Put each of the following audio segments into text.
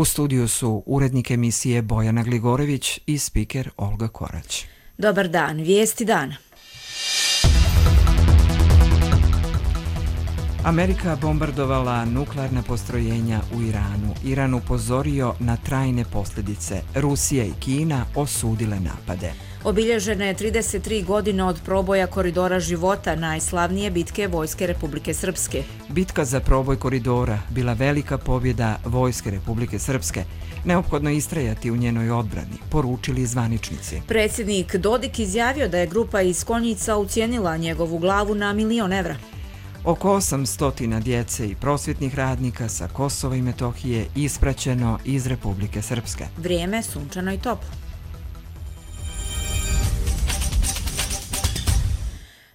U studiju su urednik emisije Bojana Gligorević i spiker Olga Korać. Dobar dan, vijesti dana. Amerika bombardovala nuklearna postrojenja u Iranu. Iran upozorio na trajne posljedice. Rusija i Kina osudile napade. Obilježene je 33 godine od proboja koridora života, najslavnije bitke Vojske Republike Srpske. Bitka za proboj koridora bila velika pobjeda Vojske Republike Srpske. Neophodno istrajati u njenoj odbrani, poručili zvaničnici. Predsjednik Dodik izjavio da je grupa iz Konjica ucijenila njegovu glavu na $1.000.000. Oko 800 djece i prosvjetnih radnika sa Kosova i Metohije ispraćeno iz Republike Srpske. Vrijeme sunčano i toplo.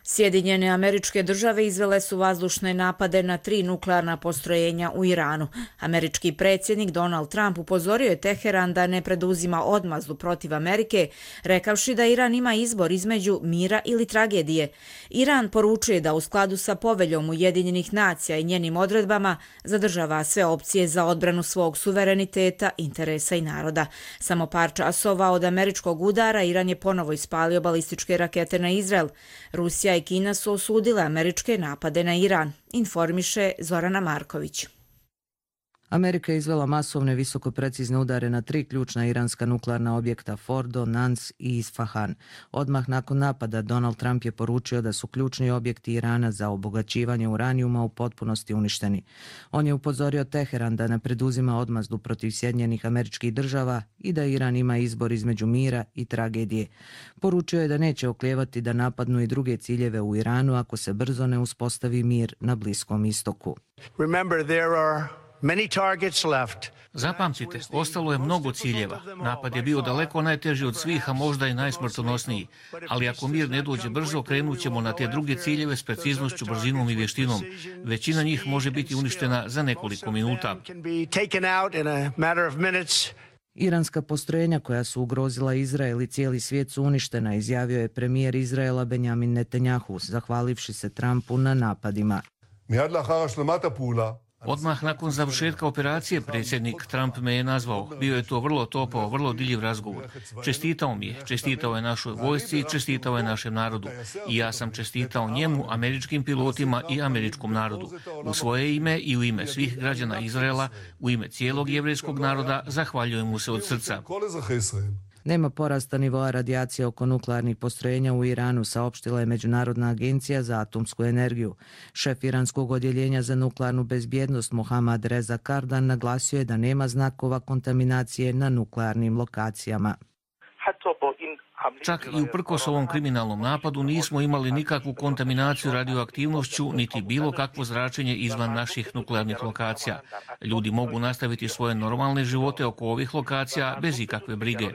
Sjedinjene Američke Države izvele su vazdušne napade na 3 nuklearna postrojenja u Iranu. Američki predsjednik Donald Trump upozorio je Teheran da ne preduzima odmazdu protiv Amerike, rekavši da Iran ima izbor između mira ili tragedije. Iran poručuje da u skladu sa poveljom Ujedinjenih nacija i njenim odredbama zadržava sve opcije za odbranu svog suvereniteta, interesa i naroda. Samo par časova od američkog udara Iran je ponovo ispalio balističke rakete na Izrael. Rusija i Kina su osudile američke napade na Iran, informiše Zorana Marković. Amerika je izvela masovne visokoprecizne udare na 3 ključna iranska nuklearna objekta Fordo, Nans i Isfahan. Odmah nakon napada Donald Trump je poručio da su ključni objekti Irana za obogaćivanje uranijuma u potpunosti uništeni. On je upozorio Teheran da ne preduzima odmazdu protiv Sjedinjenih Američkih Država i da Iran ima izbor između mira i tragedije. Poručio je da neće oklijevati da napadnu i druge ciljeve u Iranu ako se brzo ne uspostavi mir na Bliskom istoku. Zapamtite, ostalo je mnogo ciljeva. Napad je bio daleko najteži od svih, a možda i najsmrtonosniji. Ali ako mir ne dođe brzo, krenut ćemo na te druge ciljeve s preciznošću, brzinom i vještinom. Većina njih može biti uništena za nekoliko minuta. Iranska postrojenja koja su ugrozila Izrael i cijeli svijet su uništena, izjavio je premijer Izraela Benjamin Netanjahu, zahvalivši se Trumpu na napadima. Odmah nakon završetka operacije predsjednik Trump me je nazvao. Bio je to vrlo topao, vrlo diljiv razgovor. Čestitao mi je, čestitao je našoj vojsci i čestitao je našem narodu. I ja sam čestitao njemu, američkim pilotima i američkom narodu. U svoje ime i u ime svih građana Izraela, u ime cijelog jevrejskog naroda, zahvaljujem mu se od srca. Nema porasta nivoa radijacije oko nuklearnih postrojenja u Iranu, saopštila je Međunarodna agencija za atomsku energiju. Šef iranskog odjeljenja za nuklearnu bezbjednost Mohammad Reza Kardan naglasio je da nema znakova kontaminacije na nuklearnim lokacijama. Čak i uprkos ovom kriminalnom napadu nismo imali nikakvu kontaminaciju radioaktivnošću niti bilo kakvo zračenje izvan naših nuklearnih lokacija. Ljudi mogu nastaviti svoje normalne živote oko ovih lokacija bez ikakve brige.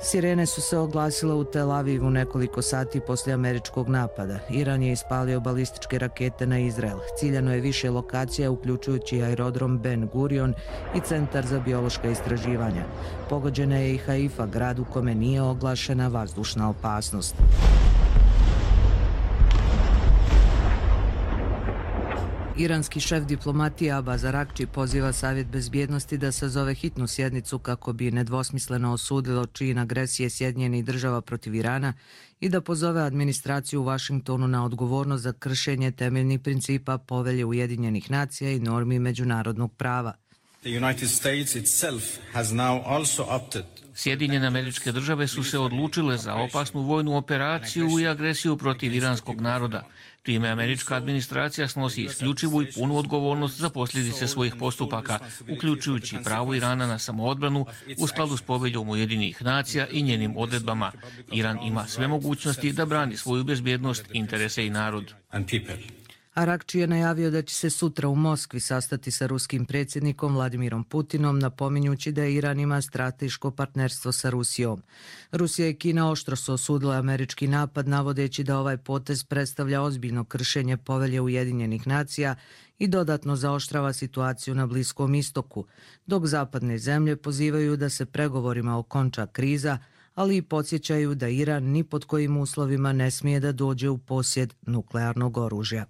Sirene su se oglasile u Tel Avivu nekoliko sati poslije američkog napada. Iran je ispalio balističke rakete na Izrael. Ciljano je više lokacija, uključujući aerodrom Ben Gurion i centar za biološka istraživanja. Pogođena je i Haifa, grad u kome nije oglašena vazdušna opasnost. Iranski šef diplomatije Abbas Araghči poziva Savjet bezbjednosti da sazove hitnu sjednicu kako bi nedvosmisleno osudilo čin agresije Sjedinjenih Država protiv Irana i da pozove administraciju u Vašingtonu na odgovornost za kršenje temeljnih principa Povelje Ujedinjenih nacija i normi međunarodnog prava. Sjedinjene Američke Države su se odlučile za opasnu vojnu operaciju i agresiju protiv iranskog naroda. Time američka administracija snosi isključivu i punu odgovornost za posljedice svojih postupaka, uključujući pravo Irana na samoodbranu u skladu s Poveljom Ujedinjenih nacija i njenim odredbama. Iran ima sve mogućnosti da brani svoju bezbjednost, interese i narod. Araghči je najavio da će se sutra u Moskvi sastati sa ruskim predsjednikom Vladimirom Putinom, napominjući da Iran ima strateško partnerstvo sa Rusijom. Rusija i Kina oštro su osudile američki napad, navodeći da ovaj potez predstavlja ozbiljno kršenje Povelje Ujedinjenih nacija i dodatno zaoštrava situaciju na Bliskom istoku, dok zapadne zemlje pozivaju da se pregovorima okonča kriza, ali i podsjećaju da Iran ni pod kojim uslovima ne smije da dođe u posjed nuklearnog oružja.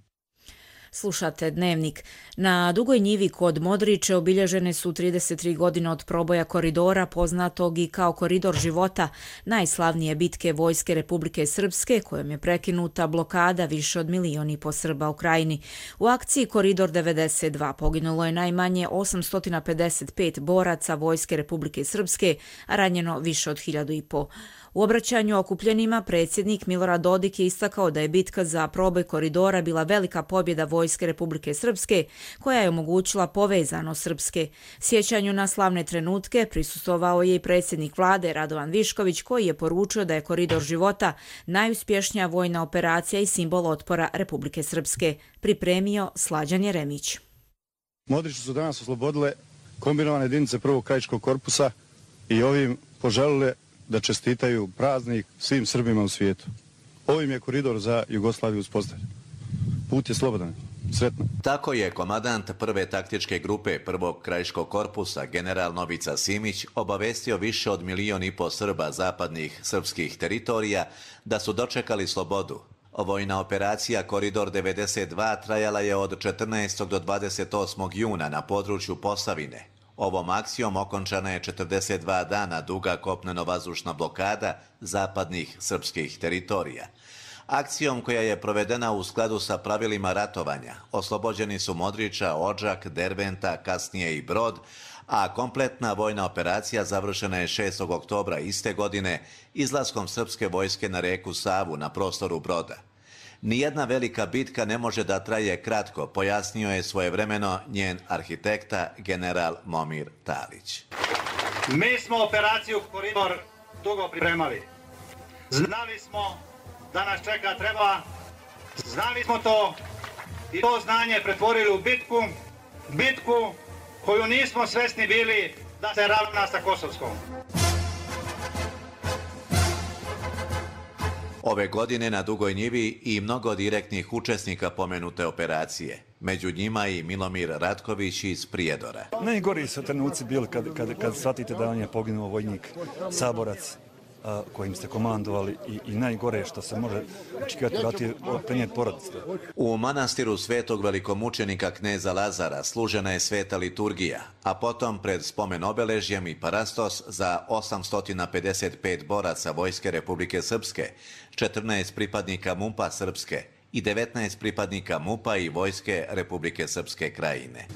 Slušate Dnevnik. Na Dugoj njivi kod Modriče obilježene su 33 godine od proboja koridora, poznatog i kao koridor života, najslavnije bitke Vojske Republike Srpske, kojom je prekinuta blokada više od 1,5 miliona Srba u krajini. U akciji Koridor 92 poginulo je najmanje 855 boraca Vojske Republike Srpske, a ranjeno više od 1.500. U obraćanju okupljenima predsjednik Milorad Dodik je istakao da je bitka za proboj koridora bila velika pobjeda Vojske Republike Srpske, koja je omogućila povezanost Srpske. Sjećanju na slavne trenutke prisustvovao je i predsjednik vlade Radovan Višković, koji je poručio da je koridor života najuspješnija vojna operacija i simbol otpora Republike Srpske. Pripremio Slađan Jeremić. Modriče su danas oslobodile kombinovane jedinice prvog krajiškog korpusa i ovim poželile da čestitaju praznik svim Srbima u svijetu. Ovim je koridor za Jugoslaviju uspostavljen. Put je slobodan. Sretno. Tako je komandant prve taktičke grupe prvog krajiškog korpusa, general Novica Simić, obavestio više od 1,5 miliona Srba zapadnih srpskih teritorija da su dočekali slobodu. Vojna operacija Koridor 92 trajala je od 14. do 28. juna na području Posavine. Ovom akcijom okončana je 42 dana duga kopneno-vazdušna blokada zapadnih srpskih teritorija. Akcijom koja je provedena u skladu sa pravilima ratovanja, oslobođeni su Modriča, Odžak, Derbenta, kasnije i Brod, a kompletna vojna operacija završena je 6. oktobra iste godine izlaskom srpske vojske na reku Savu na prostoru Broda. Nijedna velika bitka ne može da traje kratko, pojasnio je svojevremeno njen arhitekta general Momir Talić. Mi smo operaciju Koridor dugo pripremali. Znali smo da nas čeka treba, znali smo to i to znanje pretvorili u bitku koju nismo svesni bili da se ravna sa Kosovskom. Ove godine na Dugoj njivi i mnogo direktnih učesnika pomenute operacije. Među njima i Milomir Ratković iz Prijedora. Najgori su trenuci bili kad shvatite da on je poginuo vojnik, saborac kojim ste komandovali i najgore što se može očekivati je prenijeti porodice. U manastiru svetog velikomučenika kneza Lazara služena je sveta liturgija, a potom pred spomen obeležjem i parastos za 855 boraca Vojske Republike Srpske, 14 pripadnika MUP-a Srpske i 19 pripadnika MUP-a i Vojske Republike Srpske Krajine.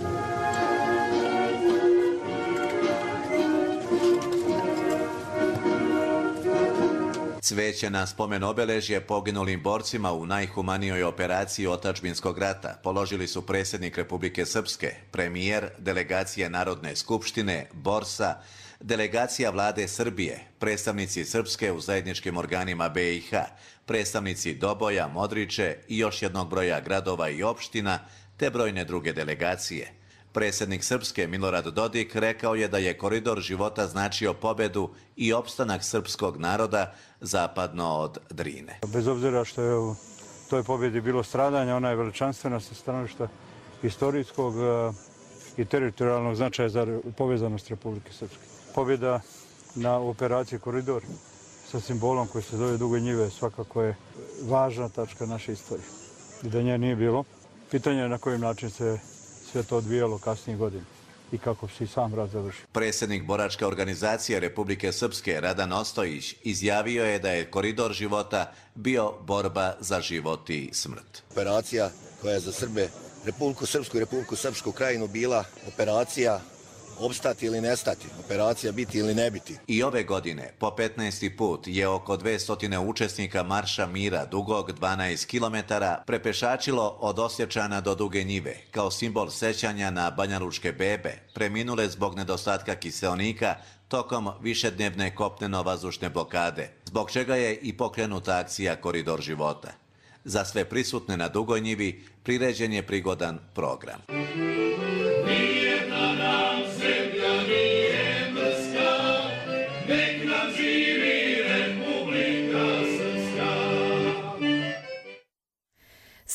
Cveće na spomen obeležje poginulim borcima u najhumanijoj operaciji otadžbinskog rata položili su predsjednik Republike Srpske, premijer, delegacije Narodne skupštine, Borsa, delegacija vlade Srbije, predstavnici Srpske u zajedničkim organima BiH, predstavnici Doboja, Modriče i još jednog broja gradova i opština, te brojne druge delegacije. Predsjednik Srpske Milorad Dodik rekao je da je koridor života značio pobedu i opstanak srpskog naroda zapadno od Drine. Bez obzira što je u toj pobjedi bilo stradanja, ona je veličanstvena sa stanovišta istorijskog i teritorijalnog značaja za povezanost Republike Srpske. Pobjeda na operaciji Koridor sa simbolom koji se zove Duge njive svakako je važna tačka naše istorije. I da nje nije bilo, pitanje je na koji način se sve to odvijalo kasnije godine i kako se i sam rat završio. Predsjednik boračke organizacije Republike Srpske Radan Ostojić izjavio je da je koridor života bio borba za život i smrt. Operacija koja je za Srbe, Republiku Srpsku i Republiku Srpsku Krajinu bila operacija opstati ili nestati, operacija biti ili ne biti. I ove godine, po 15. put, je oko 200 učesnika Marša mira dugog 12 km prepešačilo od Osječana do Duge njive, kao simbol sećanja na banjalučke bebe, preminule zbog nedostatka kiseonika tokom višednevne kopneno-vazdušne blokade, zbog čega je i pokrenuta akcija Koridor života. Za sve prisutne na Dugoj njivi priređen je prigodan program.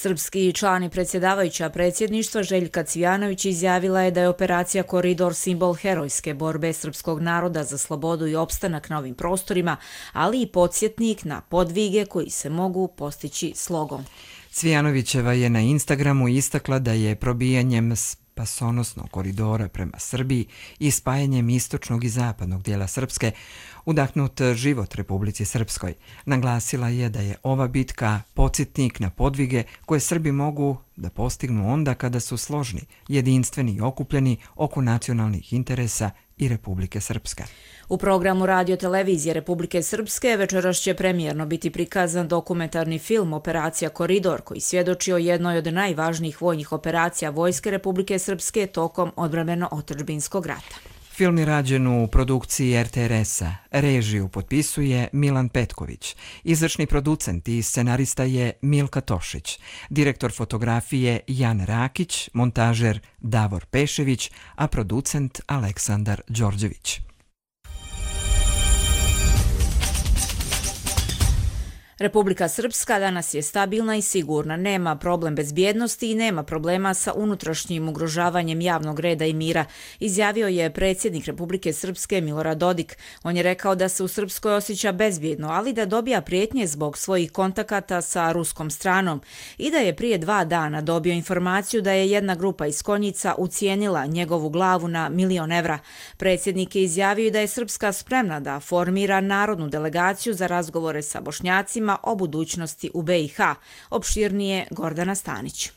Srpski član i predsjedavajuća predsjedništva Željka Cvijanović izjavila je da je operacija Koridor simbol herojske borbe srpskog naroda za slobodu i opstanak na ovim prostorima, ali i podsjetnik na podvige koji se mogu postići slogom. Cvijanovićeva je na Instagramu istakla da je probijanjem spasonosnog koridora prema Srbiji i spajanjem istočnog i zapadnog dijela Srpske udahnut život Republici Srpskoj. Naglasila je da je ova bitka podsjetnik na podvige koje Srbi mogu da postignu onda kada su složni, jedinstveni i okupljeni oko nacionalnih interesa i Republike Srpske. U programu Radio-televizije Republike Srpske večeras će premijerno biti prikazan dokumentarni film Operacija Koridor, koji svjedoči o jednoj od najvažnijih vojnih operacija Vojske Republike Srpske tokom odbrambeno-otadžbinskog rata. Film je rađen u produkciji RTRS-a. Režiju potpisuje Milan Petković. Izvršni producent i scenarista je Milka Tošić. Direktor fotografije Jan Rakić, montažer Davor Pešević, a producent Aleksandar Đorđević. Republika Srpska danas je stabilna i sigurna, nema problem bezbjednosti i nema problema sa unutrašnjim ugrožavanjem javnog reda i mira, izjavio je predsjednik Republike Srpske Milorad Dodik. On je rekao da se u Srpskoj osjeća bezbjedno, ali da dobija prijetnje zbog svojih kontakata sa ruskom stranom i da je prije 2 dana dobio informaciju da je jedna grupa iz Konjica ucijenila njegovu glavu na 1.000.000 evra. Predsjednik je izjavio da je Srpska spremna da formira narodnu delegaciju za razgovore sa Bošnjacima o budućnosti u BiH. Opširnije Gordana Stanić.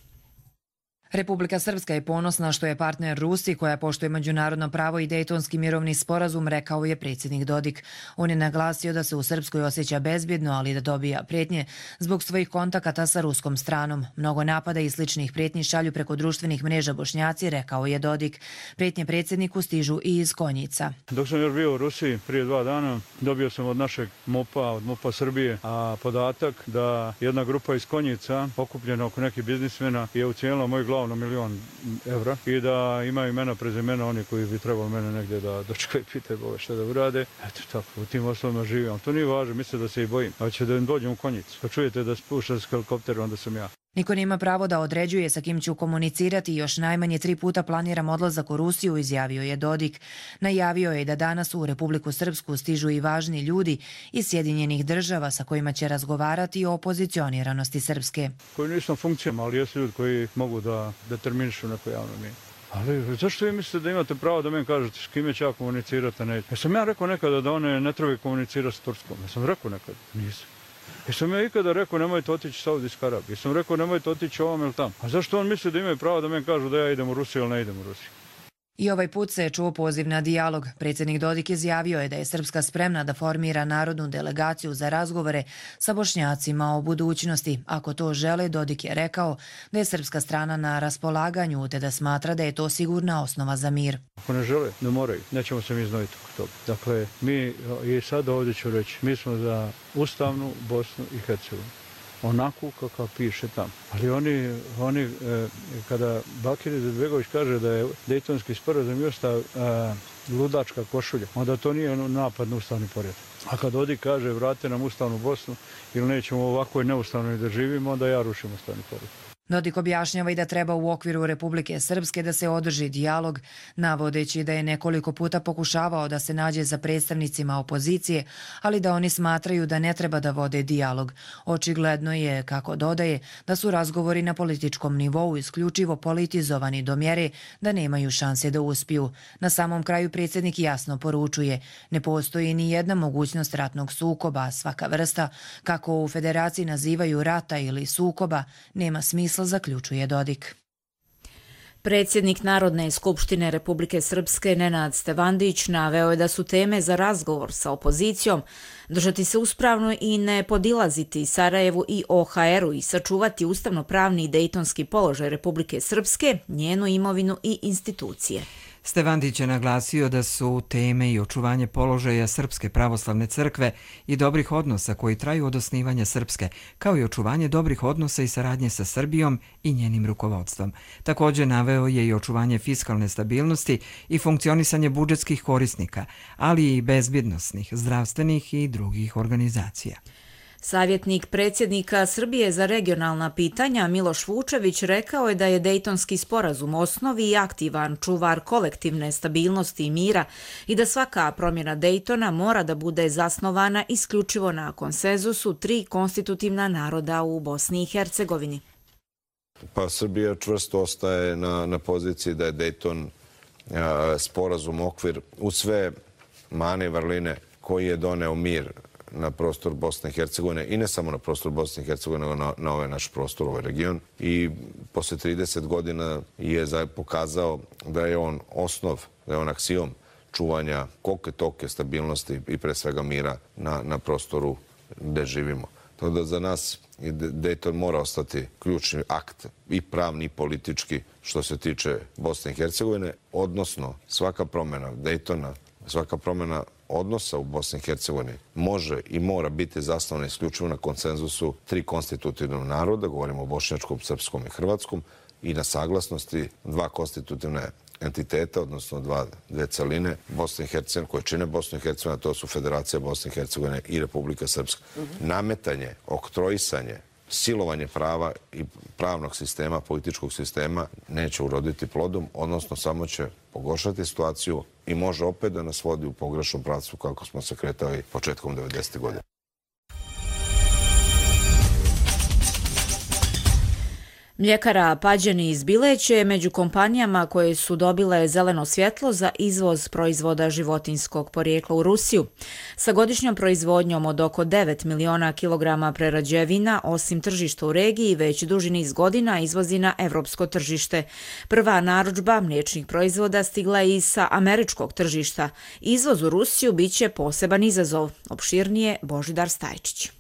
Republika Srpska je ponosna što je partner Rusiji koja poštuje međunarodno pravo i Dejtonski mirovni sporazum, rekao je predsjednik Dodik. On je naglasio da se u Srpskoj osjeća bezbjedno, ali da dobija prijetnje zbog svojih kontakata sa ruskom stranom. Mnogo napada i sličnih prijetnji šalju preko društvenih mreža Bošnjaci, rekao je Dodik. Prijetnje predsjedniku stižu i iz Konjica. Dok sam još bio u Rusiji prije 2 dana, dobio sam od našeg MUP-a, od MUP-a Srbije, podatak da jedna grupa iz Konjica, okupljena oko nekih biznismena, je ucijenila moju glavu na 1.000.000 evra i da imaju imena, prezimena oni koji bi trebali mene negdje da dočekaju, pitaju Boga šta da urade. Eto tako, u tim osnovima živim. To nije važno, misle da se i bojim. Ali će da im dođem u Konjicu. Kad čujete da spušta s helikoptera, onda sam ja. Niko nema pravo da određuje sa kim ću komunicirati i još najmanje 3 puta planiram odlazak u Rusiju, izjavio je Dodik. Najavio je da danas u Republiku Srpsku stižu i važni ljudi iz Sjedinjenih država sa kojima će razgovarati o opozicioniranosti Srpske. Koji nisam funkcijama, ali jesu ljudi koji mogu da determinišu neko javno mjesto. Ali zašto vi mislite da imate pravo da meni kažete s kime će ja komunicirati? Jesam ja rekao nekada da one ne trebaju komunicirati s Turskom? Jesam rekao nekada? Nisam. Jesam ja ikada rekao nemojte otići u Saudijsku Arabiju? Jesam rekao nemojte otići ovom ili tamo? A zašto on misli da imaju pravo da meni kažu da ja idem u Rusiju ili ne idem u Rusiju? I ovaj put se je čuo poziv na dijalog. Predsjednik Dodik izjavio je da je Srpska spremna da formira narodnu delegaciju za razgovore sa Bošnjacima o budućnosti. Ako to žele, Dodik je rekao da je srpska strana na raspolaganju te da smatra da je to sigurna osnova za mir. Ako ne žele, ne moraju. Nećemo se mi znojiti oko toga. Dakle, mi i sad ovdje ću reći, mi smo za ustavnu Bosnu i Hercegovinu. Onako kako piše tamo. Ali oni kada Bakir Izetbegović kaže da je Dejtonski sporazum i ustav ludačka košulja, onda to nije napad na ustavni poredak. A kad Dodik kaže vrate nam ustavnu Bosnu ili nećemo ovako neustavno da živimo, onda ja rušim ustavni poredak. Dodik objašnjava i da treba u okviru Republike Srpske da se održi dijalog, navodeći da je nekoliko puta pokušavao da se nađe sa predstavnicima opozicije, ali da oni smatraju da ne treba da vode dijalog. Očigledno je, kako dodaje, da su razgovori na političkom nivou isključivo politizovani do mjere da nemaju šanse da uspiju. Na samom kraju predsjednik jasno poručuje, ne postoji ni jedna mogućnost ratnog sukoba, svaka vrsta, kako u Federaciji nazivaju rata ili sukoba, nema smisla, zaključuje Dodik. Predsjednik Narodne skupštine Republike Srpske Nenad Stevandić naveo je da su teme za razgovor sa opozicijom držati se uspravno i ne podilaziti Sarajevu i OHR-u i sačuvati ustavno-pravni i dejtonski položaj Republike Srpske, njenu imovinu i institucije. Stevandić je naglasio da su teme i očuvanje položaja Srpske pravoslavne crkve i dobrih odnosa koji traju od osnivanja Srpske, kao i očuvanje dobrih odnosa i saradnje sa Srbijom i njenim rukovodstvom. Također naveo je i očuvanje fiskalne stabilnosti i funkcionisanje budžetskih korisnika, ali i bezbjednosnih, zdravstvenih i drugih organizacija. Savjetnik predsjednika Srbije za regionalna pitanja Miloš Vučević rekao je da je Dejtonski sporazum osnovi i aktivan čuvar kolektivne stabilnosti i mira i da svaka promjena Dejtona mora da bude zasnovana isključivo na konsenzusu 3 konstitutivna naroda u Bosni i Hercegovini. Pa Srbija čvrsto ostaje na poziciji da je Dejton sporazum okvir u sve mane i vrline koji je doneo mir na prostor Bosne i Hercegovine i ne samo na prostor Bosne i Hercegovine, nego na ovaj naš prostor, ovaj region. I posle 30 godina je pokazao da je on osnov, da je on aksijom čuvanja kolike toke stabilnosti i pre svega mira na prostoru gde živimo. Tako da za nas Dejton mora ostati ključni akt i pravni i politički što se tiče Bosne i Hercegovine, odnosno svaka promjena Dejtona, svaka promjena odnosa u Bosni i Hercegovini može i mora biti zasnovana isključivo na konsenzusu 3 konstitutivnog naroda, govorimo o bošnjačkom, srpskom i hrvatskom, i na saglasnosti 2 konstitutivne entiteta, odnosno dve celine Bosne i Hercegovine, koje čine Bosnu i Hercegovinu, a to su Federacija Bosne i Hercegovine i Republika Srpska. Nametanje, oktroisanje, silovanje prava i pravnog sistema, političkog sistema neće uroditi plodom, odnosno samo će pogoršati situaciju i može opet da nas vodi u pogrešnom pravcu kako smo se kretali početkom 90. godina. Mljekara Pađeni iz Bileće je među kompanijama koje su dobile zeleno svjetlo za izvoz proizvoda životinjskog porijekla u Rusiju. Sa godišnjom proizvodnjom od oko 9 miliona kilograma prerađevina, osim tržišta u regiji, već duži niz godina izvozi na evropsko tržište. Prva narudžba mliječnih proizvoda stigla je i sa američkog tržišta. Izvoz u Rusiju biće poseban izazov. Opširnije Božidar Stajčić.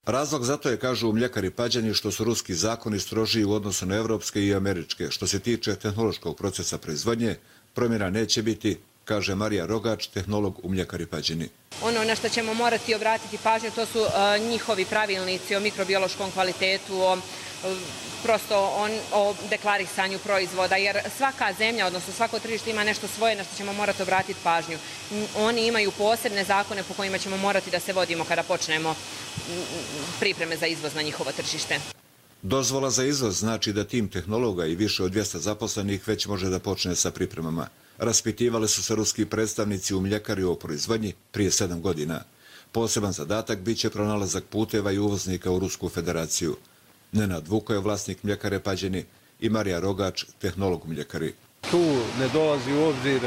Razlog za to je, kažu mljekari Pađani, što su ruski zakoni strožiji u odnosu na evropske i američke. Što se tiče tehnološkog procesa proizvodnje, promjena neće biti, kaže Marija Rogač, tehnolog u mljekari Pađani. Ono na što ćemo morati obratiti pažnju, to su njihovi pravilnici o mikrobiološkom kvalitetu, o deklarisanju proizvoda, jer svaka zemlja, odnosno svako tržište ima nešto svoje na što ćemo morati obratiti pažnju. Oni imaju posebne zakone po kojima ćemo morati da se vodimo kada počnemo pripreme za izvoz na njihovo tržište. Dozvola za izvoz znači da tim tehnologa i više od 200 zaposlenih već može da počne sa pripremama. Raspitivali su se ruski predstavnici u mljekari o proizvodnji prije 7 godina. Poseban zadatak biće pronalazak puteva i uvoznika u Rusku federaciju. Nenad Vuko je vlasnik mljekare Pađeni i Marija Rogač, tehnolog u mljekari. Tu ne dolazi u obzir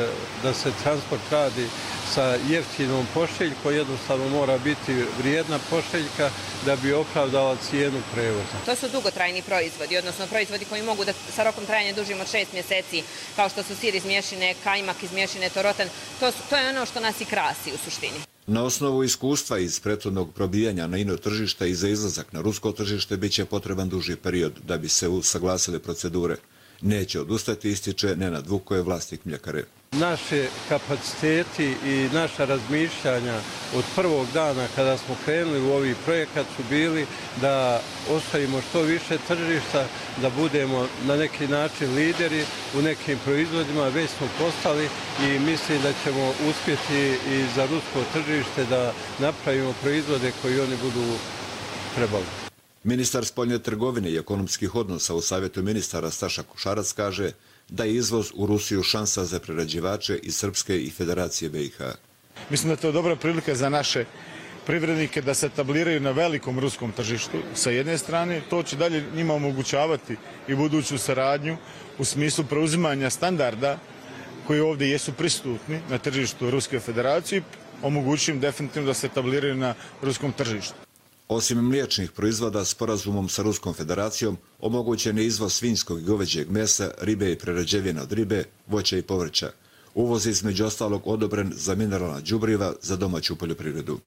da se transport radi sa jeftinom pošiljkom, jednostavno mora biti vrijedna pošiljka da bi opravdala cijenu prevoza. To su dugotrajni proizvodi, odnosno proizvodi koji mogu da sa rokom trajanja dužim od 6 mjeseci, kao što su sir iz mješine, kajmak iz mješine, torotan. To je ono što nas i krasi u suštini. Na osnovu iskustva iz prethodnog probijanja na ino tržišta i za izlazak na rusko tržište biće potreban duži period da bi se usaglasile procedure. Neće odustati, ističe Nenad Vuko, je vlasnik mljekare. Naše kapaciteti i naša razmišljanja od prvog dana kada smo krenuli u ovi projekat su bili da ostavimo što više tržišta, da budemo na neki način lideri u nekim proizvodima, već smo postali i mislim da ćemo uspjeti i za rusko tržište da napravimo proizvode koji oni budu trebali. Ministar spoljne trgovine i ekonomskih odnosa u Savjetu ministara Staša Košarac kaže da je izvoz u Rusiju šansa za prerađivače iz Srpske i Federacije BiH. Mislim da je to dobra prilika za naše privrednike da se etabliraju na velikom ruskom tržištu sa jedne strane. To će dalje njima omogućavati i buduću saradnju u smislu preuzimanja standarda koji ovdje jesu prisutni na tržištu Ruske federacije, omogućujem definitivno da se etabliraju na ruskom tržištu. Osim mliječnih proizvoda, sporazumom sa Ruskom federacijom omogućen je izvoz svinjskog i goveđeg mesa, ribe i prerađevina od ribe, voća i povrća. Uvoz je između ostalog odobren za mineralna đubriva za domaću poljoprivredu.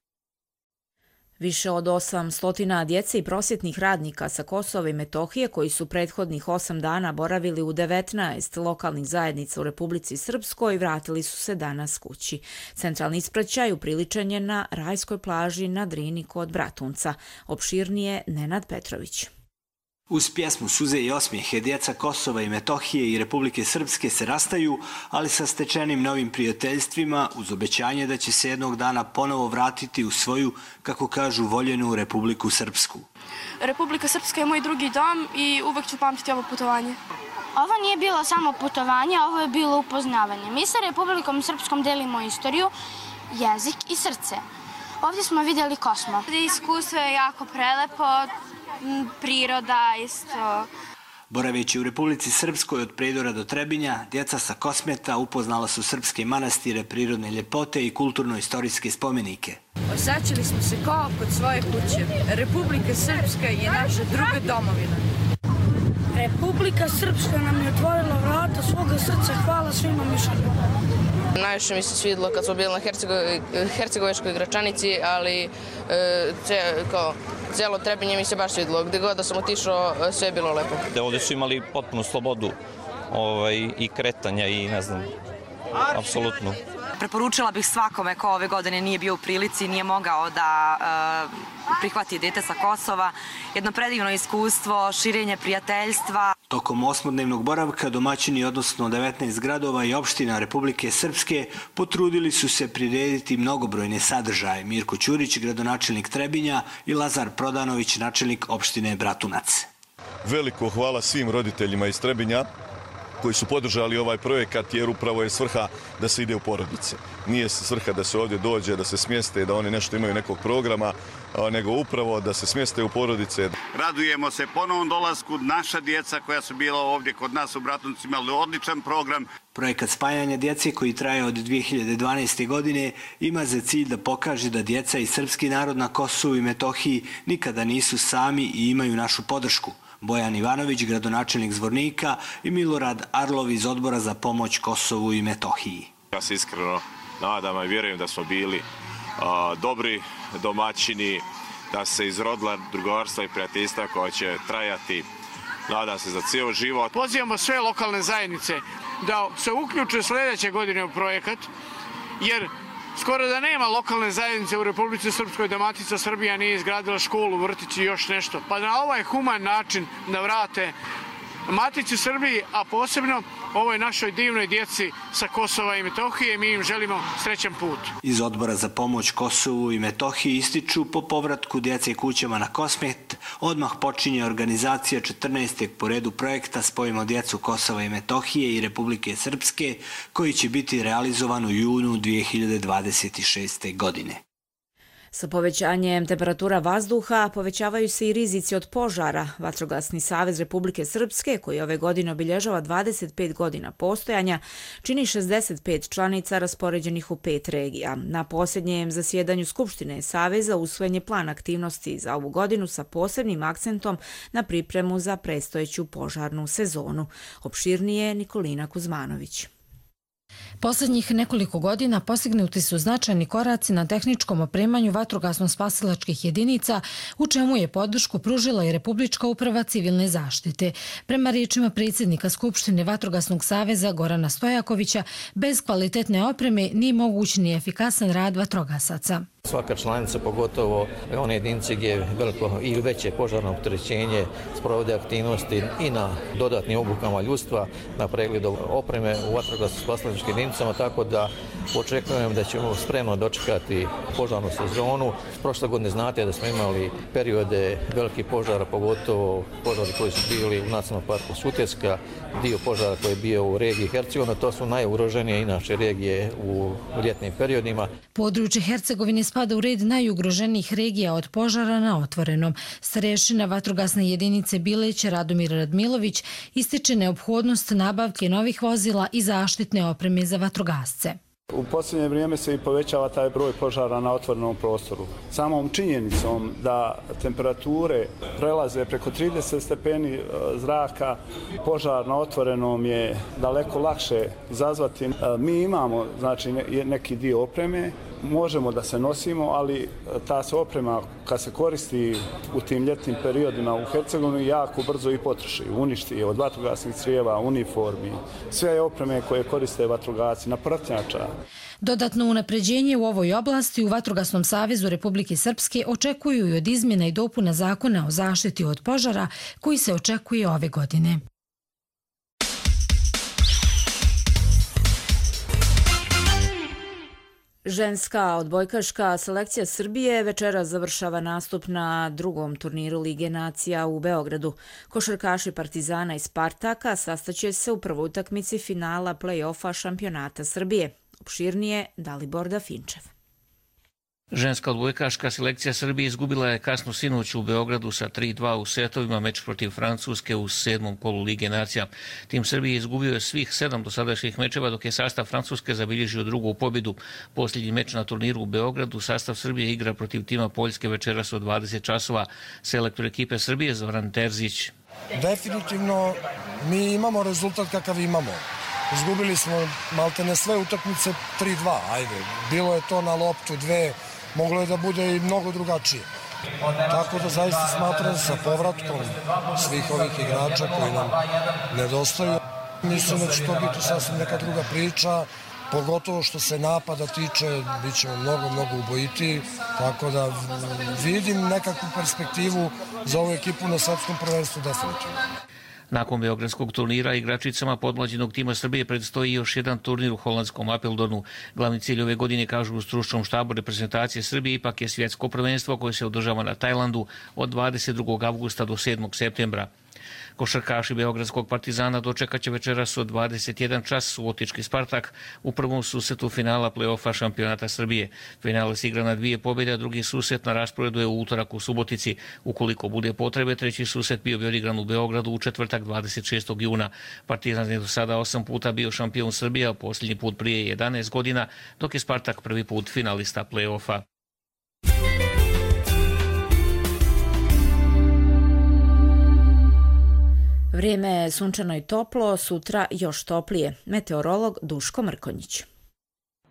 Više od 800 djece i prosvjetnih radnika sa Kosova i Metohije koji su prethodnih 8 dana boravili u 19 lokalnih zajednica u Republici Srpskoj vratili su se danas kući. Centralni ispraćaj upriličen je na rajskoj plaži na Drini kod Bratunca. Opširnije Nenad Petrović. Uz pjesmu Suze i osmijehe djeca Kosova i Metohije i Republike Srpske se rastaju, ali sa stečenim novim prijateljstvima uz obećanje da će se jednog dana ponovo vratiti u svoju, kako kažu, voljenu Republiku Srpsku. Republika Srpska je moj drugi dom i uvek ću pamtiti ovo putovanje. Ovo nije bilo samo putovanje, ovo je bilo upoznavanje. Mi sa Republikom Srpskom delimo istoriju, jezik i srce. Ovdje smo vidjeli Kosmo. Iskustvo je jako prelepo, priroda isto. Boraveći u Republici Srpskoj od Prijedora do Trebinja, djeca sa Kosmeta upoznala su srpske manastire, prirodne ljepote i kulturno-istorijske spomenike. Osjećali smo se kao kod svoje kuće. Republika Srpska je naša druga domovina. Republika Srpska nam je otvorila vrata svoga srca. Hvala svima mišljenima. Najviše mi se svidilo kad smo bili na Hercegovačkoj Gračanici, ali cijelo Trebinje mi se baš svidilo. Gdje god da sam otišao, sve je bilo lepo. Ovdje su imali potpunu slobodu i kretanja i ne znam, apsolutno. Preporučila bih svakome ko ove godine nije bio u prilici, nije mogao da prihvati dete sa Kosova. Jedno predivno iskustvo, širenje prijateljstva. Tokom 8-dnevnog boravka domaćini, odnosno 19 gradova i opština Republike Srpske, potrudili su se prirediti mnogobrojne sadržaje. Mirko Ćurić, gradonačelnik Trebinja, i Lazar Prodanović, načelnik opštine Bratunac. Veliko hvala svim roditeljima iz Trebinja koji su podržali ovaj projekat, jer upravo je svrha da se ide u porodice. Nije svrha da se ovdje dođe, da se smjeste, da oni nešto imaju nekog programa, nego upravo da se smjeste u porodice. Radujemo se ponovnom dolasku. Naša djeca koja su bila ovdje kod nas u Bratunacu imali odličan program. Projekat spajanja djece, koji traje od 2012. godine, ima za cilj da pokaže da djeca i srpski narod na Kosovu i Metohiji nikada nisu sami i imaju našu podršku. Bojan Ivanović, gradonačelnik Zvornika, i Milorad Arlov iz Odbora za pomoć Kosovu i Metohiji. Ja se iskreno nadam i vjerujem da smo bili dobri domaćini, da se izrodila drugarstva i prijateljstva koja će trajati, nadam se, za cijel život. Pozivamo sve lokalne zajednice da se uključe sljedeće godine u projekat, jer skoro da nema lokalne zajednice u Republici Srpskoj da Matica Srbija nije izgradila školu, vrtić i još nešto. Pa na ovaj human način da vrate Matici Srbiji, a posebno ovoj našoj divnoj djeci sa Kosova i Metohije, mi im želimo srećan put. Iz Odbora za pomoć Kosovu i Metohiji ističu po povratku djece kućama na Kosmet odmah počinje organizacija 14. po redu projekta Spojimo djecu Kosova i Metohije i Republike Srpske, koji će biti realizovan u junu 2026. godine. Sa povećanjem temperatura vazduha povećavaju se i rizici od požara. Vatrogasni savez Republike Srpske, koji ove godine obilježava 25 godina postojanja, čini 65 članica raspoređenih u 5 regija. Na posljednjem zasjedanju Skupštine Saveza usvojen je plan aktivnosti za ovu godinu sa posebnim akcentom na pripremu za predstojeću požarnu sezonu. Opširnije Nikolina Kuzmanović. Posljednjih nekoliko godina postignuti su značajni koraci na tehničkom opremanju vatrogasno-spasilačkih jedinica, u čemu je podršku pružila i Republička uprava civilne zaštite. Prema riječima predsjednika Skupštine Vatrogasnog saveza Gorana Stojakovića, bez kvalitetne opreme nije moguć ni efikasan rad vatrogasaca. Svaka članica, pogotovo one jedinice gdje je veliko ili veće požarno opterećenje, sprovode aktivnosti i na dodatnim obukama ljudstva, na pregledu opreme u vatrogasno-spasilačkim jedinicama, tako da očekujem da ćemo spremno dočekati požarnu sezonu. Prošle godine znate da smo imali periode velikih požara, pogotovo požari koji su bili u Nacionalnom parku Sutjeska, dio požara koji je bio u regiji Hercegovina. To su najugroženije inače regije u ljetnim periodima. Područje Hercegovine spada u red najugroženijih regija od požara na otvorenom. Starešina vatrogasne jedinice Bileć Radomir Radmilović ističe neophodnost nabavke novih vozila i zaštitne opreme za vatrogasce. U posljednje vrijeme se i povećava taj broj požara na otvorenom prostoru. Samom činjenicom da temperature prelaze preko 30 stepeni zraka, požar na otvorenom je daleko lakše izazvati. Mi imamo, znači, neki dio opreme, možemo da se nosimo, ali ta se oprema kad se koristi u tim ljetnim periodima u Hercegovini jako brzo i potroši, uništi je od vatrogasnih crijeva, uniformi, sve opreme koje koriste vatrogasci na pratnjača. Dodatno unapređenje u ovoj oblasti u Vatrogasnom savezu Republike Srpske očekuju i od izmjena i dopuna zakona o zaštiti od požara koji se očekuje ove godine. Ženska odbojkaška selekcija Srbije večeras završava nastup na drugom turniru Lige nacija u Beogradu. Košarkaši Partizana i Spartaka sastaće se u prvoj utakmici finala play-offa šampionata Srbije. Opširnije Dalibor Dafinčev. Ženska odbojkaška selekcija Srbije izgubila je kasno sinoć u Beogradu sa 3-2 u setovima meč protiv Francuske u 7. kolu Lige nacija. Tim Srbije izgubio je svih 7 dosadašnjih mečeva, dok je sastav Francuske zabilježio drugu pobjedu. Posljednji meč na turniru u Beogradu sastav Srbije igra protiv tima Poljske večeras od 20 časova. Selektor ekipe Srbije Zoran Terzić. Definitivno mi imamo rezultat kakav imamo. Izgubili smo maltene sve utakmice 3-2, ajde. Bilo je to na loptu 2, moglo je da bude i mnogo drugačije. Tako da zaista smatram sa povratkom svih ovih igrača koji nam nedostaju. Mislim da će to biti sasvim neka druga priča, pogotovo što se napada tiče, bit ćemo mnogo ubojitiji, tako da vidim nekakvu perspektivu za ovu ekipu na svetskom prvenstvu definitivno. Nakon beogradskog turnira igračicama podmlađenog tima Srbije predstoji još jedan turnir u holandskom Apeldonu. Glavni cilj ove godine, kažu u stručnom štabu reprezentacije Srbije, ipak je svjetsko prvenstvo koje se održava na Tajlandu od 22. avgusta do 7. septembra. Košarkaši beogradskog Partizana dočekaće večeras od 21 čas subotički Spartak u prvom susretu finala play-offa šampionata Srbije. Finale se igra na 2 pobjede, a drugi susret na rasporedu je u utorak u Subotici. Ukoliko bude potrebe, treći susret bio bi odigran u Beogradu u četvrtak 26. juna. Partizan je do sada 8 puta bio šampion Srbije, a posljednji put prije 11 godina, dok je Spartak prvi put finalista play-offa. Vrijeme je sunčano i toplo, sutra još toplije. Meteorolog Duško Mrkonjić.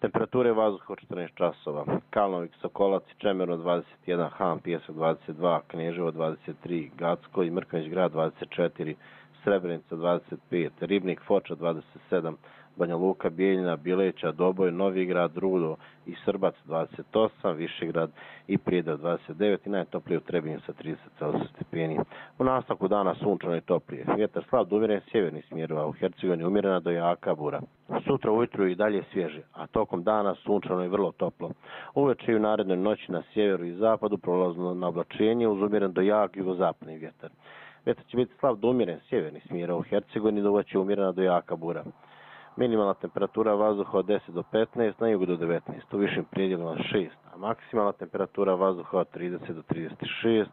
Temperature vazduha 14 časova. Kalnovik, Sokolac i Čemerno 21, Han, Pijesak 22, Kneževo 23, Gacko i Mrkonjić grad 24, Srebrenica 25, Ribnik, Foča 27, Banja Luka, Bijeljina, Bileća, Doboj, Novi grad, Rudo i Srbac 28, Višegrad i Prijedor 29 i najtoplije u Trebinju sa 30 stepeni. U nastavku dana sunčano i toplije. Vjetar slab do umjeren sjeverni smjer, a u Hercegovini umjerena do jaka bura. Sutra ujutru i dalje svježe, a tokom dana sunčano i vrlo toplo. Uveče i u narednoj noći na sjeveru i zapadu prolazno na oblačenje uz umjeren do jak jugozapadni vjetar. Vjetar će biti slab do umjeren sjeverni smjer, a u Hercegovini do uveče umjerena do jaka bura. Minimalna temperatura vazduha od 10 do 15, na jugu do 19, u višim predjelima 6, a maksimalna temperatura vazduha od 30 do 36,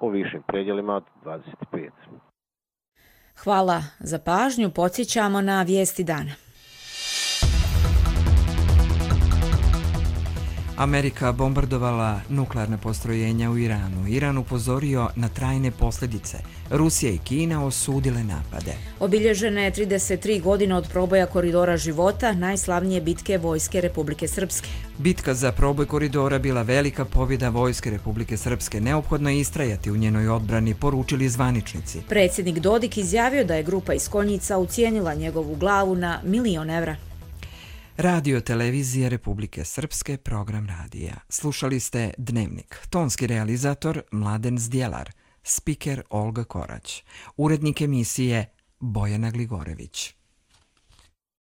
u višim predjelima od 25. Hvala za pažnju, podsjećamo na vijesti dana. Amerika bombardovala nuklearna postrojenja u Iranu. Iran upozorio na trajne posljedice. Rusija i Kina osudile napade. Obilježene 33 godine od proboja koridora života, najslavnije bitke Vojske Republike Srpske. Bitka za proboj koridora bila velika pobjeda Vojske Republike Srpske. Neophodno je istrajati u njenoj odbrani, poručili zvaničnici. Predsjednik Dodik izjavio da je grupa iz Konjica ucijenila njegovu glavu na 1 milion evra. Radio televizija Republike Srpske, program radija. Slušali ste Dnevnik. Tonski realizator Mladen Zdjelar. Spiker Olga Korać. Urednik emisije Bojana Gligorević.